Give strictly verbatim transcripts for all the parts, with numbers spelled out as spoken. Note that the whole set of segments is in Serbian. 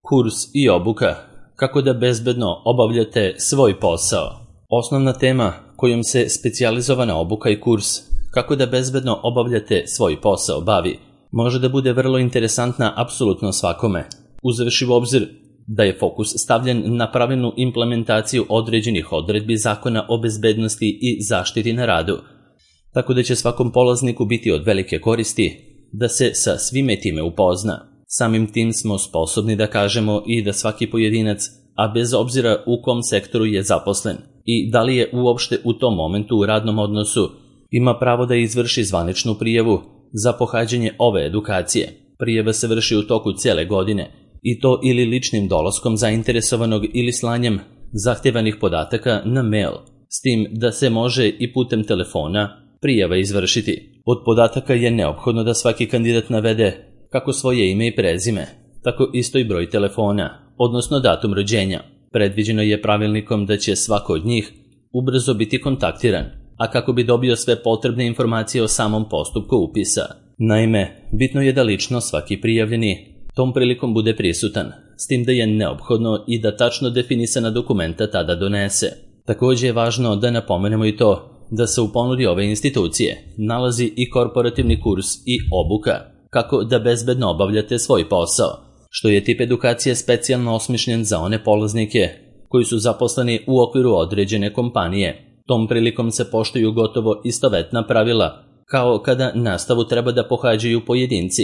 Kurs i obuka. Kako da bezbedno obavljate svoj posao. Osnovna tema kojom se specijalizovana obuka i kurs kako da bezbedno obavljate svoj posao bavi može da bude vrlo interesantna apsolutno svakome, uzevši u obzir da je fokus stavljen na pravilnu implementaciju određenih odredbi Zakona o bezbednosti i zaštiti na radu, tako da će svakom polazniku biti od velike koristi da se sa svime time upozna. Samim tim smo sposobni da kažemo i da svaki pojedinac, a bez obzira u kom sektoru je zaposlen i da li je uopšte u tom momentu u radnom odnosu, ima pravo da izvrši zvaničnu prijavu za pohađanje ove edukacije. Prijava se vrši u toku cijele godine i to ili ličnim dolaskom zainteresovanog ili slanjem zahtevanih podataka na mail, s tim da se može i putem telefona prijava izvršiti. Od podataka je neophodno da svaki kandidat navede kako svoje ime i prezime, tako isto i broj telefona, odnosno datum rođenja. Predviđeno je pravilnikom da će svako od njih ubrzo biti kontaktiran, a kako bi dobio sve potrebne informacije o samom postupku upisa. Naime, bitno je da lično svaki prijavljeni tom prilikom bude prisutan, s tim da je neophodno i da tačno definisana dokumenta tada donese. Također je važno da napomenemo i to da se u ponudi ove institucije nalazi i korporativni kurs i obuka kako da bezbedno obavljate svoj posao, što je tip edukacije specijalno osmišljen za one polaznike koji su zaposleni u okviru određene kompanije. Tom prilikom se poštuju gotovo istovetna pravila kao kada nastavu treba da pohađaju pojedinci,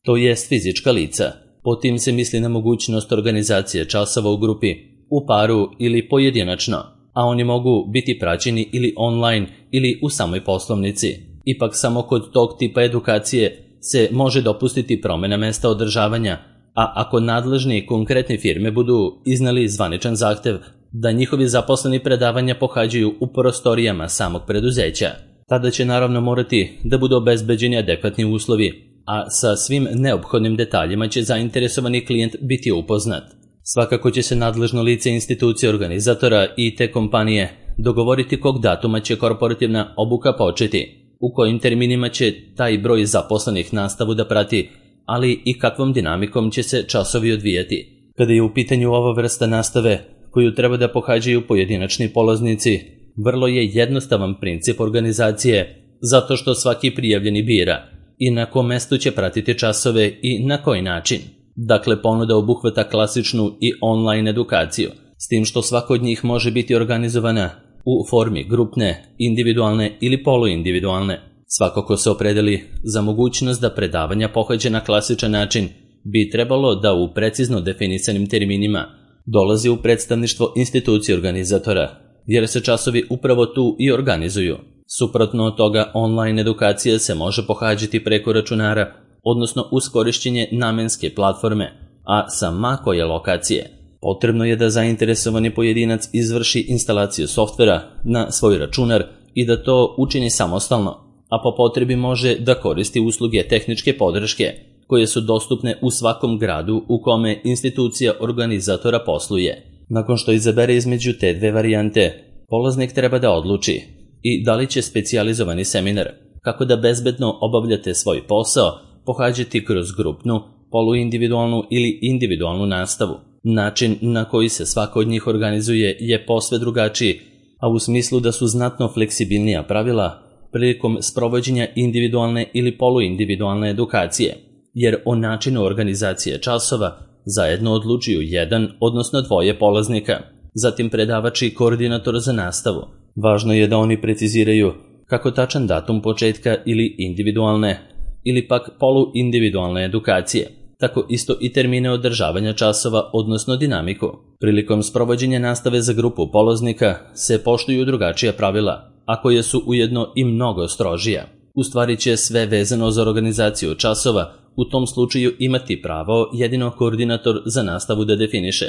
to jest fizička lica. Po tim se misli na mogućnost organizacije časova u grupi, u paru ili pojedinačno, a oni mogu biti praćeni ili online ili u samoj poslovnici. Ipak samo kod tog tipa edukacije se može dopustiti promjena mesta održavanja, a ako nadležni konkretne firme budu iznali zvaničan zahtev da njihovi zaposleni predavanja pohađaju u prostorijama samog preduzeća, tada će naravno morati da budu obezbeđeni adekvatni uslovi, a sa svim neophodnim detaljima će zainteresovani klijent biti upoznat. Svakako će se nadležno lice institucije organizatora i te kompanije dogovoriti kog datuma će korporativna obuka početi, u kojim terminima će taj broj zaposlenih nastavu da prati, ali i kakvom dinamikom će se časovi odvijati. Kada je u pitanju ova vrsta nastave koju treba da pohađaju pojedinačni polaznici, vrlo je jednostavan princip organizacije, zato što svaki prijavljeni bira i na kom mestu će pratiti časove i na koji način. Dakle, ponuda obuhvata klasičnu i online edukaciju, s tim što svako od njih može biti organizovana u formi grupne, individualne ili poluindividualne. Svako ko se opredeli za mogućnost da predavanja pohađa na klasičan način bi trebalo da u precizno definisanim terminima dolazi u predstavništvo institucije organizatora, jer se časovi upravo tu i organizuju. Suprotno od toga, online edukacija se može pohađati preko računara, odnosno uz korišćenje namenske platforme, a sa ma koje lokacije. Potrebno je da zainteresovani pojedinac izvrši instalaciju softvera na svoj računar i da to učini samostalno, a po potrebi može da koristi usluge tehničke podrške koje su dostupne u svakom gradu u kome institucija organizatora posluje. Nakon što izabere između te dve varijante, polaznik treba da odluči i da li će specijalizovani seminar kako da bezbedno obavljate svoj posao pohađati kroz grupnu, poluindividualnu ili individualnu nastavu. Način na koji se svako od njih organizuje je posve drugačiji, a u smislu da su znatno fleksibilnija pravila prilikom sprovođenja individualne ili poluindividualne edukacije, jer o načinu organizacije časova zajedno odlučuju jedan, odnosno dvoje polaznika, zatim predavač i koordinator za nastavu. Važno je da oni preciziraju kako tačan datum početka ili individualne ili pak poluindividualne edukacije, tako isto i termine održavanja časova, odnosno dinamiku. Prilikom sprovođenja nastave za grupu polaznika se poštuju drugačija pravila, a koje su ujedno i mnogo strožija. U stvari će sve vezano za organizaciju časova u tom slučaju imati pravo jedino koordinator za nastavu da definiše.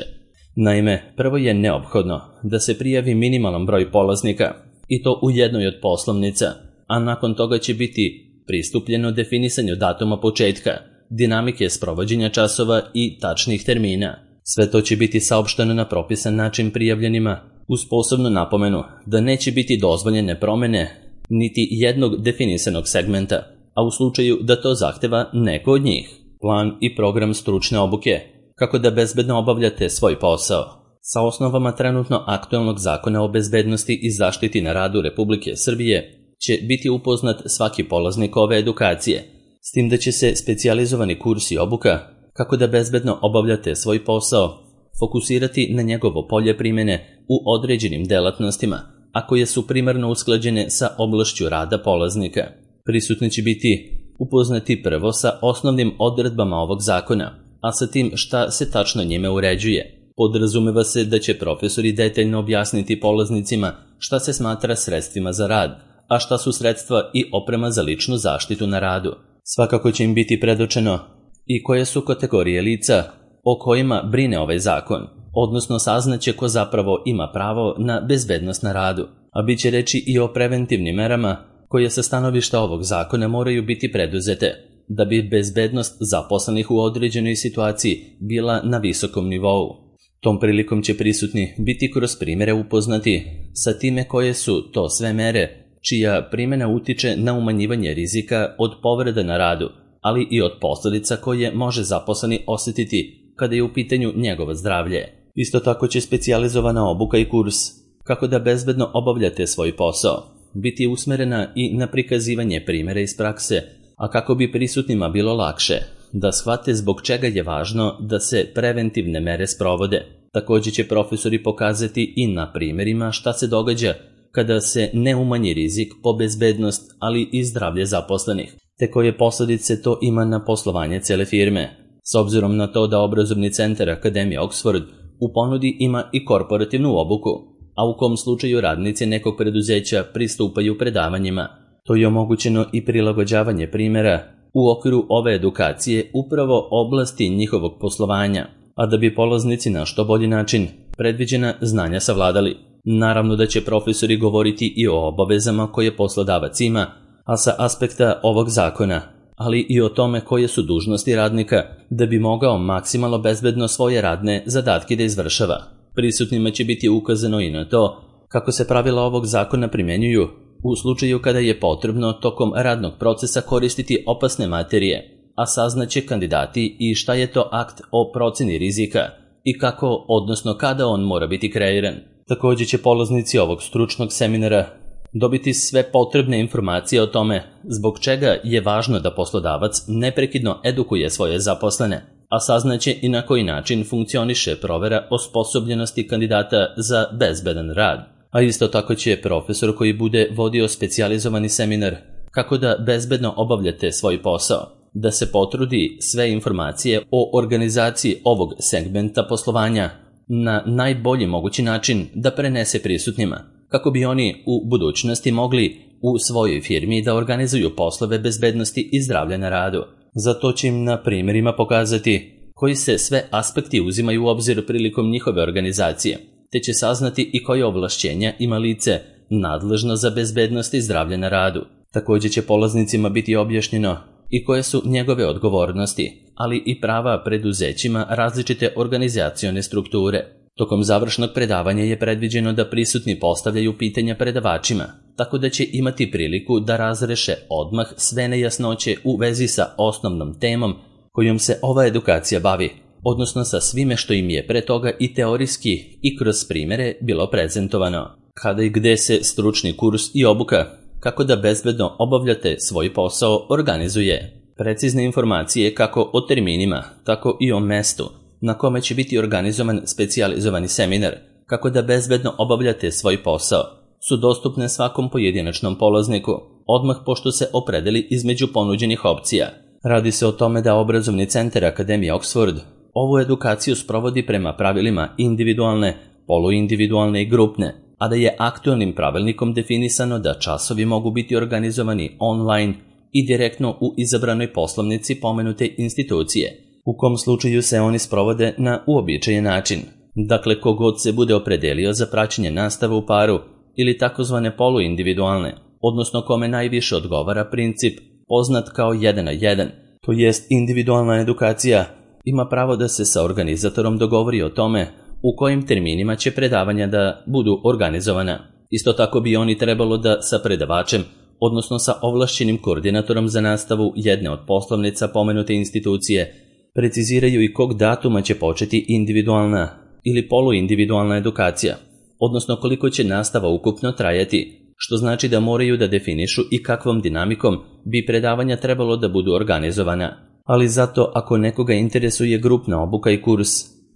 Naime, prvo je neophodno da se prijavi minimalan broj polaznika, i to u jednoj od poslovnica, a nakon toga će biti pristupljeno definisanju datuma početka, dinamike sprovođenja časova i tačnih termina. Sve to će biti saopšteno na propisan način prijavljenima, uz posebnu napomenu da neće biti dozvoljene promjene niti jednog definisanog segmenta, a u slučaju da to zahteva neko od njih. Plan i program stručne obuke kako da bezbedno obavljate svoj posao. Sa osnovama trenutno aktuelnog zakona o bezbednosti i zaštiti na radu Republike Srbije će biti upoznat svaki polaznik ove edukacije, s tim da će se specijalizovani kurs i obuka kako da bezbedno obavljate svoj posao fokusirati na njegovo polje primjene u određenim delatnostima, a koje su primarno usklađene sa oblašću rada polaznika. Prisutni će biti upoznati prvo sa osnovnim odredbama ovog zakona, a sa tim šta se tačno njime uređuje. Podrazumeva se da će profesori detaljno objasniti polaznicima šta se smatra sredstvima za rad, a šta su sredstva i oprema za ličnu zaštitu na radu. Svakako će im biti predočeno i koje su kategorije lica o kojima brine ovaj zakon, odnosno saznaće ko zapravo ima pravo na bezbednost na radu, a bit će reći i o preventivnim merama koje sa stanovišta ovog zakona moraju biti preduzete, da bi bezbednost zaposlenih u određenoj situaciji bila na visokom nivou. Tom prilikom će prisutni biti kroz primjere upoznati sa time koje su to sve mere čija primjena utiče na umanjivanje rizika od povreda na radu, ali i od posljedica koje može zaposleni osjetiti kada je u pitanju njegovo zdravlje. Isto tako će specijalizovana obuka i kurs kako da bezbedno obavljate svoj posao biti usmerena i na prikazivanje primjera iz prakse, a kako bi prisutnima bilo lakše da shvate zbog čega je važno da se preventivne mere sprovode. Također će profesori pokazati i na primjerima šta se događa kada se ne umanji rizik po bezbednost, ali i zdravlje zaposlenih, te koje posljedice to ima na poslovanje cele firme. S obzirom na to da obrazovni centar Akademije Oxford u ponudi ima i korporativnu obuku, a u kom slučaju radnici nekog preduzeća pristupaju predavanjima, to je omogućeno i prilagođavanje primjera u okviru ove edukacije upravo oblasti njihovog poslovanja, a da bi polaznici na što bolji način predviđena znanja savladali. Naravno da će profesori govoriti i o obavezama koje poslodavac ima, a sa aspekta ovog zakona, ali i o tome koje su dužnosti radnika da bi mogao maksimalno bezbedno svoje radne zadatke da izvršava. Prisutnima će biti ukazano i na to kako se pravila ovog zakona primjenjuju u slučaju kada je potrebno tokom radnog procesa koristiti opasne materije, a saznaće kandidati i šta je to akt o proceni rizika i kako, odnosno kada on mora biti kreiran. Također će polaznici ovog stručnog seminara dobiti sve potrebne informacije o tome zbog čega je važno da poslodavac neprekidno edukuje svoje zaposlene, a saznaće i na koji način funkcioniše provera osposobljenosti kandidata za bezbedan rad. A isto tako će profesor koji bude vodio specijalizovani seminar kako da bezbedno obavljate svoj posao, da se potrudi sve informacije o organizaciji ovog segmenta poslovanja na najbolji mogući način da prenese prisutnima, kako bi oni u budućnosti mogli u svojoj firmi da organizuju poslove bezbednosti i zdravlja na radu. Zato će im na primjerima pokazati koji se sve aspekti uzimaju u obzir prilikom njihove organizacije, te će saznati i koje ovlašćenja ima lice nadležno za bezbednost i zdravlje na radu. Također će polaznicima biti objašnjeno i koje su njegove odgovornosti, ali i prava preduzećima različite organizacione strukture. Tokom završnog predavanja je predviđeno da prisutni postavljaju pitanja predavačima, tako da će imati priliku da razreše odmah sve nejasnoće u vezi sa osnovnom temom kojom se ova edukacija bavi, odnosno sa svime što im je pre toga i teorijski i kroz primjere bilo prezentovano. Kada i gde se stručni kurs i obuka kako da bezbedno obavljate svoj posao organizuje. Precizne informacije kako o terminima, tako i o mestu na kome će biti organizovan specijalizovani seminar kako da bezbedno obavljate svoj posao su dostupne svakom pojedinačnom polazniku, odmah pošto se opredeli između ponuđenih opcija. Radi se o tome da obrazovni centar Akademije Oxford ovu edukaciju sprovodi prema pravilima individualne, poluindividualne i grupne, a da je aktualnim pravilnikom definisano da časovi mogu biti organizovani online i direktno u izabranoj poslovnici pomenute institucije, u kom slučaju se oni sprovode na uobičajen način. Dakle, kogod se bude opredelio za praćenje nastave u paru ili takozvane poluindividualne, odnosno kome najviše odgovara princip poznat kao jedan na jedan, to jest individualna edukacija, ima pravo da se sa organizatorom dogovori o tome u kojim terminima će predavanja da budu organizovana. Isto tako bi oni trebalo da sa predavačem, odnosno sa ovlašćenim koordinatorom za nastavu jedne od poslovnica pomenute institucije, Preciziraju i kog datuma će početi individualna ili poluindividualna edukacija, odnosno koliko će nastava ukupno trajati, što znači da moraju da definišu i kakvom dinamikom bi predavanja trebalo da budu organizovana. Ali zato ako nekoga interesuje grupna obuka i kurs,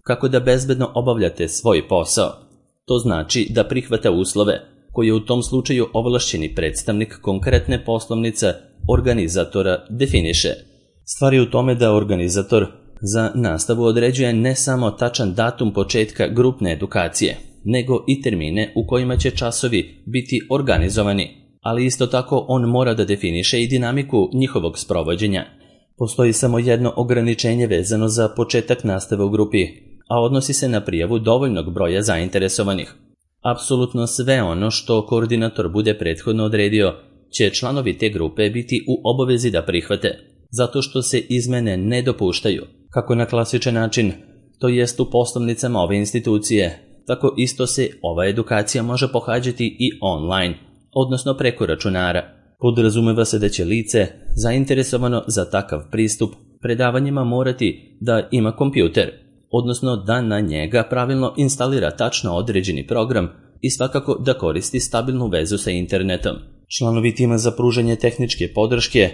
kako da bezbedno obavljate svoj posao, to znači da prihvata uslove koje u tom slučaju ovlašćeni predstavnik konkretne poslovnice organizatora definiše. Stvar je u tome da organizator za nastavu određuje ne samo tačan datum početka grupne edukacije, nego i termine u kojima će časovi biti organizovani, ali isto tako on mora da definiše i dinamiku njihovog sprovođenja. Postoji samo jedno ograničenje vezano za početak nastave u grupi, a odnosi se na prijavu dovoljnog broja zainteresovanih. Apsolutno sve ono što koordinator bude prethodno odredio će članovi te grupe biti u obavezi da prihvate, zato što se izmene ne dopuštaju, kako na klasičan način, to jest u poslovnicama ove institucije, tako isto se ova edukacija može pohađati i online, odnosno preko računara. Podrazumeva se da će lice, zainteresovano za takav pristup, predavanjima morati da ima kompjuter, odnosno da na njega pravilno instalira tačno određeni program i svakako da koristi stabilnu vezu sa internetom. Članovi tima za pružanje tehničke podrške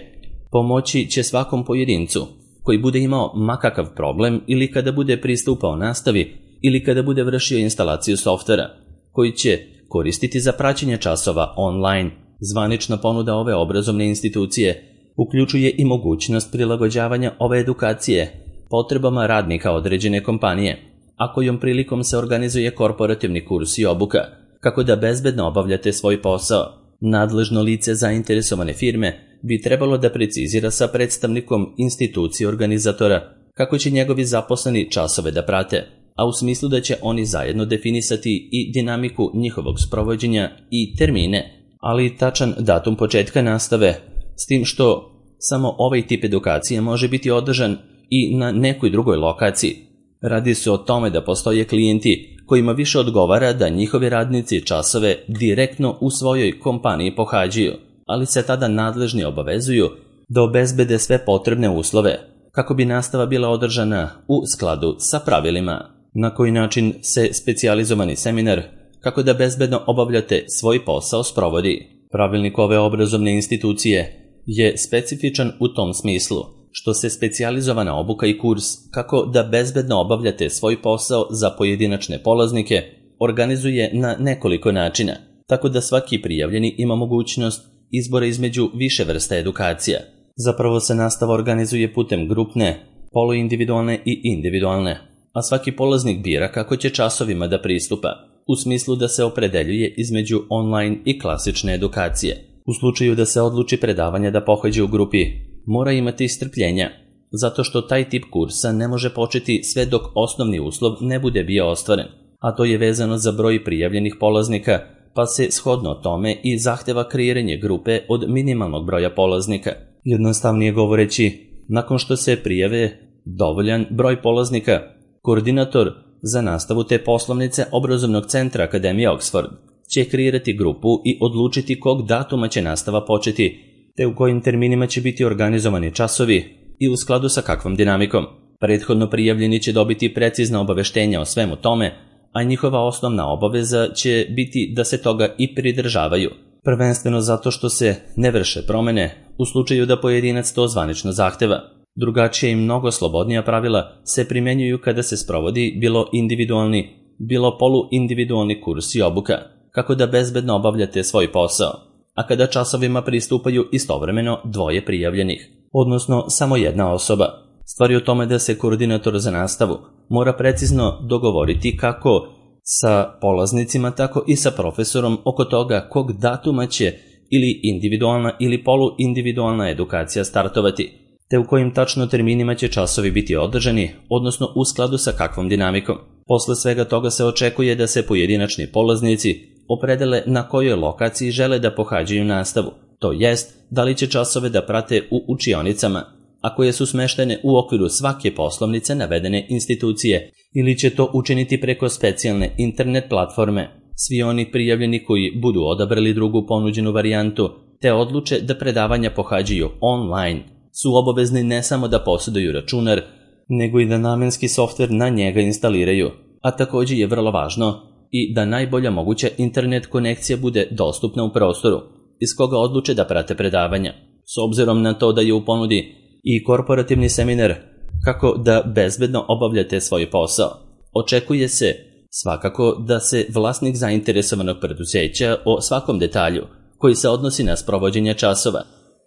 pomoći će svakom pojedincu koji bude imao makakav problem ili kada bude pristupao nastavi ili kada bude vršio instalaciju softvera, koji će koristiti za praćenje časova online. Zvanična ponuda ove obrazovne institucije uključuje i mogućnost prilagođavanja ove edukacije potrebama radnika određene kompanije, a kojom prilikom se organizuje korporativni kurs i obuka, kako da bezbedno obavljate svoj posao. Nadležno lice zainteresovane firme bi trebalo da precizira sa predstavnikom institucije organizatora kako će njegovi zaposleni časove da prate, a u smislu da će oni zajedno definisati i dinamiku njihovog sprovođenja i termine, ali i tačan datum početka nastave, s tim što samo ovaj tip edukacije može biti održan i na nekoj drugoj lokaciji. Radi se o tome da postoje klijenti kojima više odgovara da njihovi radnici časove direktno u svojoj kompaniji pohađaju, ali se tada nadležni obavezuju da obezbede sve potrebne uslove kako bi nastava bila održana u skladu sa pravilima. Na koji način se specijalizovani seminar kako da bezbedno obavljate svoj posao sprovodi. Pravilnik ove obrazovne institucije je specifičan u tom smislu što se specijalizovana obuka i kurs kako da bezbedno obavljate svoj posao za pojedinačne polaznike organizuje na nekoliko načina, tako da svaki prijavljeni ima mogućnost izbora između više vrsta edukacija. Zapravo se nastava organizuje putem grupne, poluindividualne i individualne, a svaki polaznik bira kako će časovima da pristupa, u smislu da se opredeljuje između online i klasične edukacije. U slučaju da se odluči predavanje da pohađa u grupi, mora imati strpljenja, zato što taj tip kursa ne može početi sve dok osnovni uslov ne bude bio ostvaren, a to je vezano za broj prijavljenih polaznika, pa se shodno tome i zahteva kreiranje grupe od minimalnog broja polaznika. Jednostavnije govoreći, nakon što se prijave dovoljan broj polaznika, koordinator za nastavu te poslovnice obrazovnog centra Akademije Oxford će kreirati grupu i odlučiti kog datuma će nastava početi, te u kojim terminima će biti organizovani časovi i u skladu sa kakvom dinamikom. Prethodno prijavljeni će dobiti precizna obaveštenja o svemu tome, a njihova osnovna obaveza će biti da se toga i pridržavaju, prvenstveno zato što se ne vrše promene u slučaju da pojedinac to zvanično zahteva. Drugačije i mnogo slobodnija pravila se primjenjuju kada se sprovodi bilo individualni, bilo poluindividualni kurs i obuka, kako da bezbedno obavljate svoj posao, a kada časovima pristupaju istovremeno dvoje prijavljenih, odnosno samo jedna osoba. Stvar je u tome da se koordinator za nastavu mora precizno dogovoriti kako sa polaznicima, tako i sa profesorom oko toga kog datuma će ili individualna ili poluindividualna edukacija startovati, te u kojim tačno terminima će časovi biti održani, odnosno u skladu sa kakvom dinamikom. Posle svega toga se očekuje da se pojedinačni polaznici opredele na kojoj lokaciji žele da pohađaju nastavu, to jest da li će časove da prate u učionicama, a koje su smeštene u okviru svake poslovnice navedene institucije, ili će to učiniti preko specijalne internet platforme. Svi oni prijavljeni koji budu odabrali drugu ponuđenu varijantu, te odluče da predavanja pohađaju online, su obavezni ne samo da posjeduju računar, nego i da namenski softver na njega instaliraju, a također je vrlo važno i da najbolja moguća internet konekcija bude dostupna u prostoru iz koga odluče da prate predavanja, s obzirom na to da je u ponudi i korporativni seminar kako da bezbedno obavljate svoj posao. Očekuje se svakako da se vlasnik zainteresovanog preduzeća o svakom detalju koji se odnosi na sprovođenje časova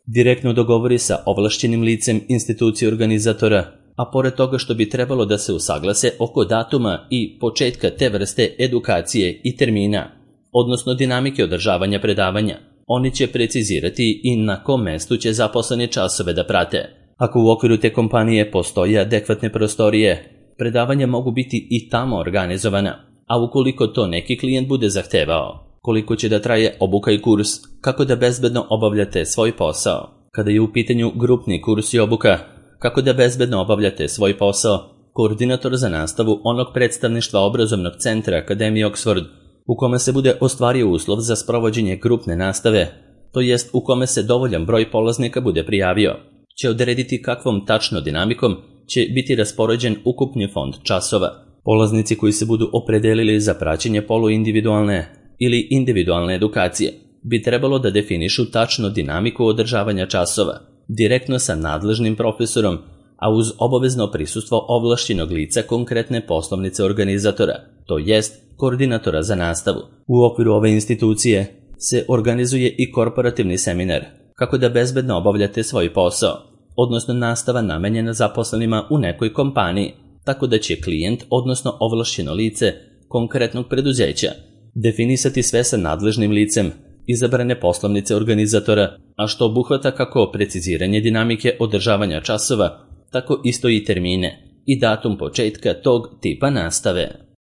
direktno dogovori sa ovlašćenim licem institucije organizatora, a pored toga što bi trebalo da se usaglase oko datuma i početka te vrste edukacije i termina, odnosno dinamike održavanja predavanja, oni će precizirati i na kom mestu će zaposleni časove da prate. Ako u okviru te kompanije postoje adekvatne prostorije, predavanja mogu biti i tamo organizovana, a ukoliko to neki klijent bude zahtevao, koliko će da traje obuka i kurs, kako da bezbedno obavljate svoj posao. Kada je u pitanju grupni kurs i obuka, kako da bezbedno obavljate svoj posao, koordinator za nastavu onog predstavništva obrazovnog centra Akademije Oxford, u kome se bude ostvario uslov za sprovođenje grupne nastave, to jest u kome se dovoljan broj polaznika bude prijavio, će odrediti kakvom tačno dinamikom će biti raspoređen ukupni fond časova. Polaznici koji se budu opredelili za praćenje poluindividualne ili individualne edukacije bi trebalo da definišu tačno dinamiku održavanja časova, direktno sa nadležnim profesorom, a uz obavezno prisustvo ovlašćenog lica konkretne poslovnice organizatora, to jest koordinatora za nastavu. U okviru ove institucije se organizuje i korporativni seminar kako da bezbedno obavljate svoj posao, odnosno nastava namenjena zaposlenima u nekoj kompaniji, tako da će klijent, odnosno ovlašćeno lice konkretnog preduzeća, definisati sve sa nadležnim licem izabrane poslovnice organizatora, a što obuhvata kako preciziranje dinamike održavanja časova, tako isto i termine i datum početka tog tipa nastave.